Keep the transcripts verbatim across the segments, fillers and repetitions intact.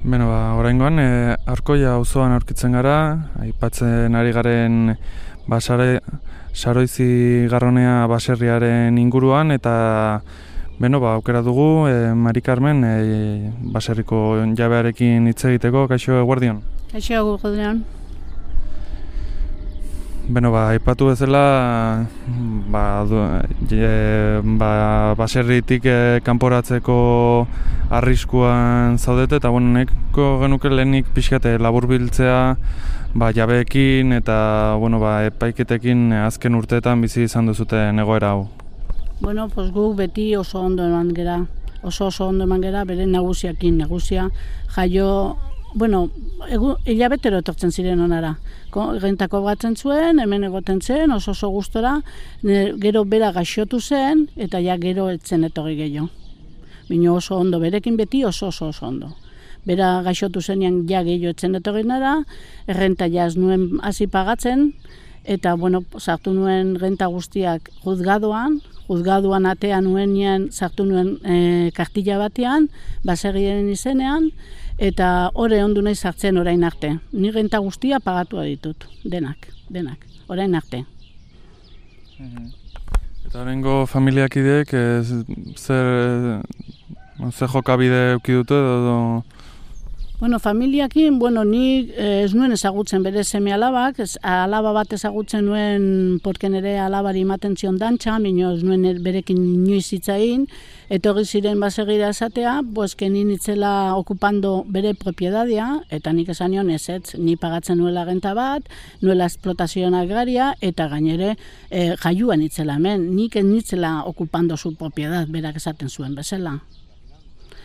Beno, ba, oraingoan, e, Arkoia auzoan aurkitzen gara, aipatzen ari garen basare, Saroizi Garronea baserriaren inguruan, eta beno, ba, aukera dugu e, Mari Carmen e, baserriko jabearekin hitz egiteko. Kaixo, eguerdion. Kaixo, eguerdion. Beno, ba, aipatu bezala, ba, du, e, ba, baserritik e, kanporatzeko arriskuan zaudete, eta bueno, neko genuke lehenik pixkate laburbiltzea ba, jabeekin eta bueno, ba, epaiketekin azken urteetan bizi izan duzuten egoera hau. Bueno, pues guk beti oso ondo eman gera, oso oso ondo eman gera bere nagusiakin, nagusia jaio. Bueno, egu, hilabetero etortzen ziren onara. Rentako batzen zuen, hemen egoten zen, oso oso gustora, gero bera gaixotu zen, eta ja gero etzen etorri gehiago. Bino oso ondo, berekin beti oso oso oso ondo. Bera gaixotu zenean ja gehiago etzen etorri nara, renta ja ez nuen hasi pagatzen, eta bueno, sartu nuen renta guztiak juzgadoan, juzgadoan atea nuenean sartu nuen e, kartilla batean, baserriaren izenean, eta hori ondu nahi sartzen orain arte. Ni renta guztia pagatua ditut, denak, denak, orain arte. Mm-hmm. Eta horrengo familiakideek zer, zer jokabide eduki dute edo? Bueno, familiakin, bueno, ni ez nuen ezagutzen bere seme alabak, ez, alaba bat ezagutzen nuen porken ere alabari ematen zion dantxa, minio ez nuen berekin inoiz hitzain, etorri ziren baserrira esatea, pues que ni nitzela okupando bere propiedadia, eta nik esan nion ez ez, ni pagatzen nuela renta bat, nuela esplotazioan agraria, eta gainere e, jaiuan nitzela hemen, nik ez nitzela okupando su propiedad, berak esaten zuen bezala.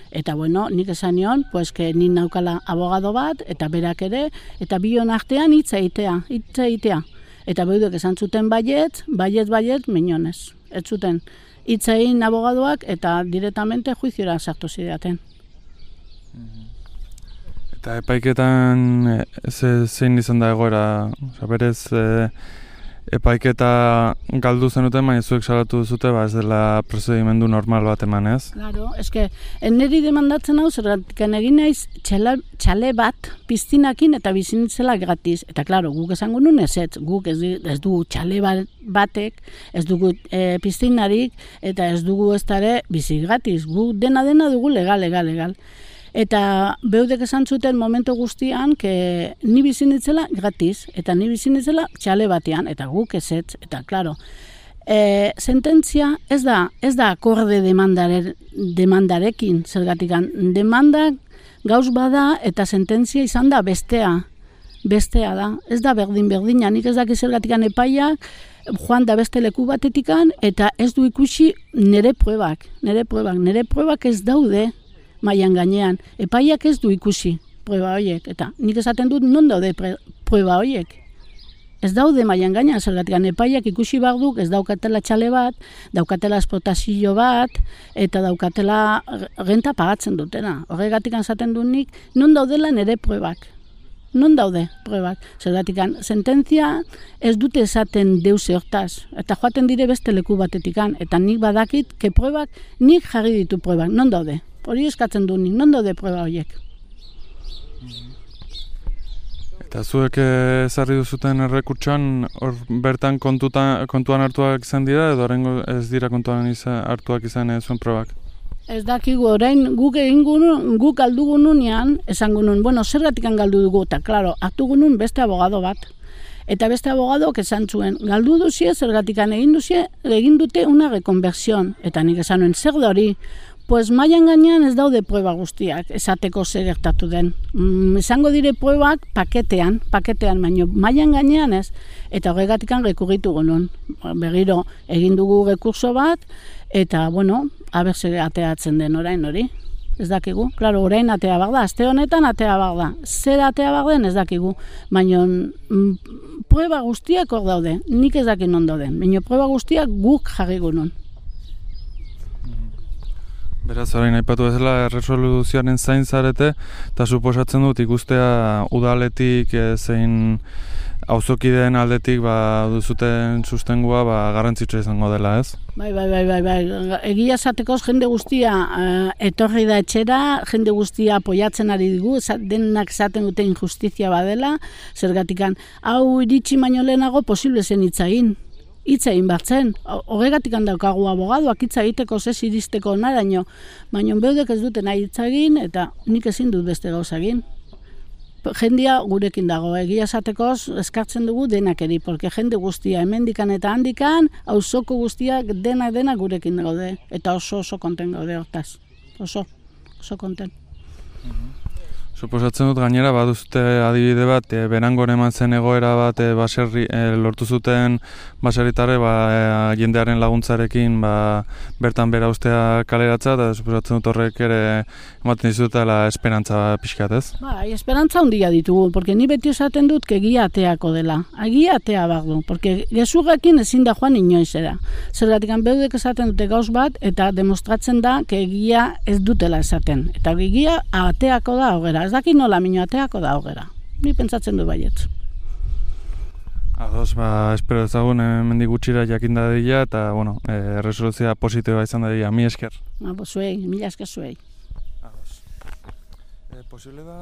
Eta bueno, nik esan nion, pues que nik naukala abogado bat, eta berak ere, eta bion artean hitza egitea, hitza egitea. Eta beudek esan zuten baiet, baiet, baiet, minionez. Ez zuten hitza egin abogadoak, eta directamente juiziora sartu zidaten. Eta epaiketan ze, zein izan da egoera, oza, berez e, epaiketa galdu zenuten, baina zuek salatu duzute, ba ez dela prozedimendu normal bat eman, ez? Claro, eske, niri demandatzen hau, zergatik egin naiz txela, txale bat piztinakin eta bizinitzela gratis. Eta klaro, guk esango nun ez ez, guk ez, ez dugu txale bat, batek, ez dugu e, piztinarik, eta ez dugu ez dara bizi gratis. Guk dena dena dugu legal, legal, legal. Eta beudek esan zuten momentu guztian, que ni bizinitzela gratis, eta ni bizinitzela txale batean, eta guk ezetz, eta klaro. E, sententzia ez da, ez da akorde demandare, demandarekin, zergatikan. Demanda gauz bada, eta sententzia izan da bestea, bestea da. Ez da berdin-berdina, nik ez daki zergatikan epaiak, joan da beste leku batetikan, eta ez du ikusi nire pruebak, nire pruebak, nire pruebak ez daude, mailan gainean, epaiak ez du ikusi prueba horiek, eta nik esaten dut non daude pre, prueba horiek. Ez daude mailan gainean, zergatik epaiak ikusi behar duk, ez daukatela txale bat, daukatela esplotazio bat, eta daukatela renta pagatzen dutena. Horregatik esaten dut nik, non daudela nire pruebak. Non daude pruebak. Zergatik sententzia ez dute esaten deuse hortaz, eta joaten dire beste leku batetikan, eta nik badakit, ke pruebak, nik jarri ditu pruebak, non daude. Hori eskatzen du nik, non daude prueba horiek. Eta zuek ezarri duzuten errekurtsoan, hor bertan kontutan, kontuan hartuak izan dira, edo horrengo ez dira kontuan izan, hartuak izan zuen probak? Ez dakigu, orain guk egingun, guk galdugu nunean, esango nun, bueno, zergatik galdu dugu, eta klaro, hartu gunun beste abogado bat. Eta beste abogadoak esan zuen, galdu duzie, zergatik egin duzie, egin dute una rekonversión. Eta nik esan nuen, zer da hori? Pues mailan gainean ez daude prueba guztiak, esateko zer gertatu den. Mm, esango dire pruebak paketean, paketean, baino mailan gainean ez. Eta horregatik rekurritu gunun. Berriro egin dugu rekurso bat, eta bueno, aber zer ateatzen den orain hori. Ez dakigu, klaro, orain atea bak da, aste honetan atea bak da. Zer atea bak den ez dakigu, baino mm, prueba guztiak hor daude, nik ez dakin non dauden, baino prueba guztiak guk jarri gunun. Beraz, orain aipatu bezala, erresoluzioaren zain zarete, eta suposatzen dut ikustea udaletik zein auzokideen aldetik ba, duzuten sustengua ba, garrantzitsua izango dela, ez? Bai, bai, bai, bai, bai. Egia esatekoz jende guztia uh, etorri da etxera, jende guztia apoiatzen ari digu, denak esaten dute injustizia badela, zergatikan, hau iritsi baino lehenago posible zen hitz egin. Hitz egin batzen. Horregatik handaukagu abogaduak hitz egiteko zez iristeko naraino, baina beudek ez duten nahi hitz egin, eta nik ezin dut beste gauza egin. Jendia gurekin dago, egia esatekoz eskartzen dugu denak eri, porque jende guztia hemendikan eta handikan, auzoko guztiak dena dena gurekin gaude, eta oso oso konten gaude hortaz, oso, oso konten. Suposatzen dut gainera baduzute adibide bat, e, Berangon eman zen egoera bat e, baserri, e, lortu zuten baserritarre ba, e, jendearen laguntzarekin ba, bertan bera ustea kaleratza, eta suposatzen dut horrek ere ematen dizutela esperantza pixkat, ez? Bai, esperantza handia ditugu, porque ni beti esaten dut que egia ateako dela. Egia atea behar du, porque gezurrekin ezin da joan inoizera. Zergatik beudek esaten dute gauz bat, eta demostratzen da que egia ez dutela esaten. Eta egia ateako da hogera. Ez daki nola mino ateako da hogera. Ni pentsatzen du baietz. Ados, ba, espero ezagun hemendik gutxira jakinda dira, eta, bueno, e, resoluzioa positiboa izan dira. Mi esker. Ba, zuei, mila esker zuei. Ados. E, posible da...